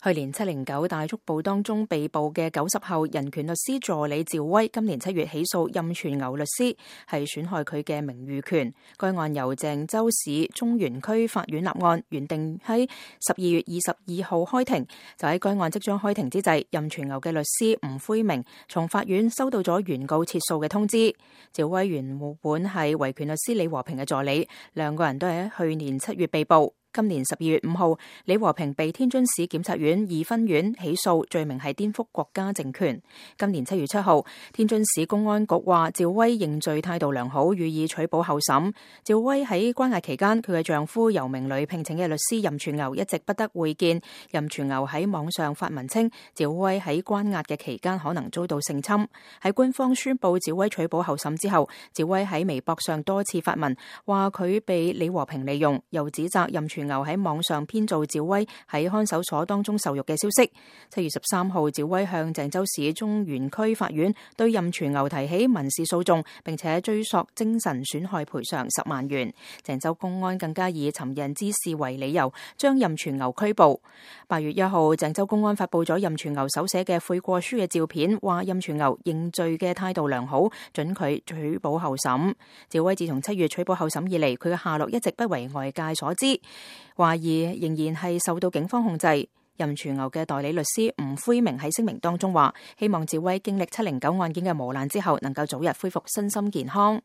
去年709大捉捕當中被捕嘅90後人權律師助理趙薇，今年7月起訴任全牛律師係損害佢嘅名譽權。該案由鄭州市中原區法院立案，原定喺12月22號開庭。就喺該案即將開庭之際，任全牛嘅律師吳輝明從法院收到咗原告撤訴嘅通知。趙薇原本係維權律師李和平嘅助理，兩個人都係喺去年7月被捕。今年12月5號，李和平被天津市檢察院2分院起訴，罪名係顛覆國家政權。今年7月7號，天津市公安局話趙薇認罪態度良好，予以取保候審。趙薇喺關押期間，佢嘅丈夫由明旅聘請嘅律師任全牛一直不得會見。任全牛喺網上發文稱，趙薇喺關押嘅期間可能遭到性侵。喺官方宣布趙薇取保候審之後，趙薇喺微博上多次發文，話佢被李和平利用，又指責任全牛喺網上編造趙薇喺看守所當中受辱嘅消息。7月13號，趙薇向鄭州市中原區法院對任全牛提起民事訴訟，並且追索精神損害賠償10萬元。鄭州公安更加以尋釁滋事為理由，將任全牛拘捕。8月1號，鄭州公安發布咗任全牛手寫嘅悔過書嘅照片，話任全牛認罪嘅態度良好，准佢取保候審。趙薇自從7月取保候審以嚟，佢嘅下落一直不為外界所知，懷疑仍然係受到警方控制。任全牛嘅代理律師吳輝明喺聲明當中話，希望趙薇經歷709案件嘅磨難之後，能夠早日恢復身心健康。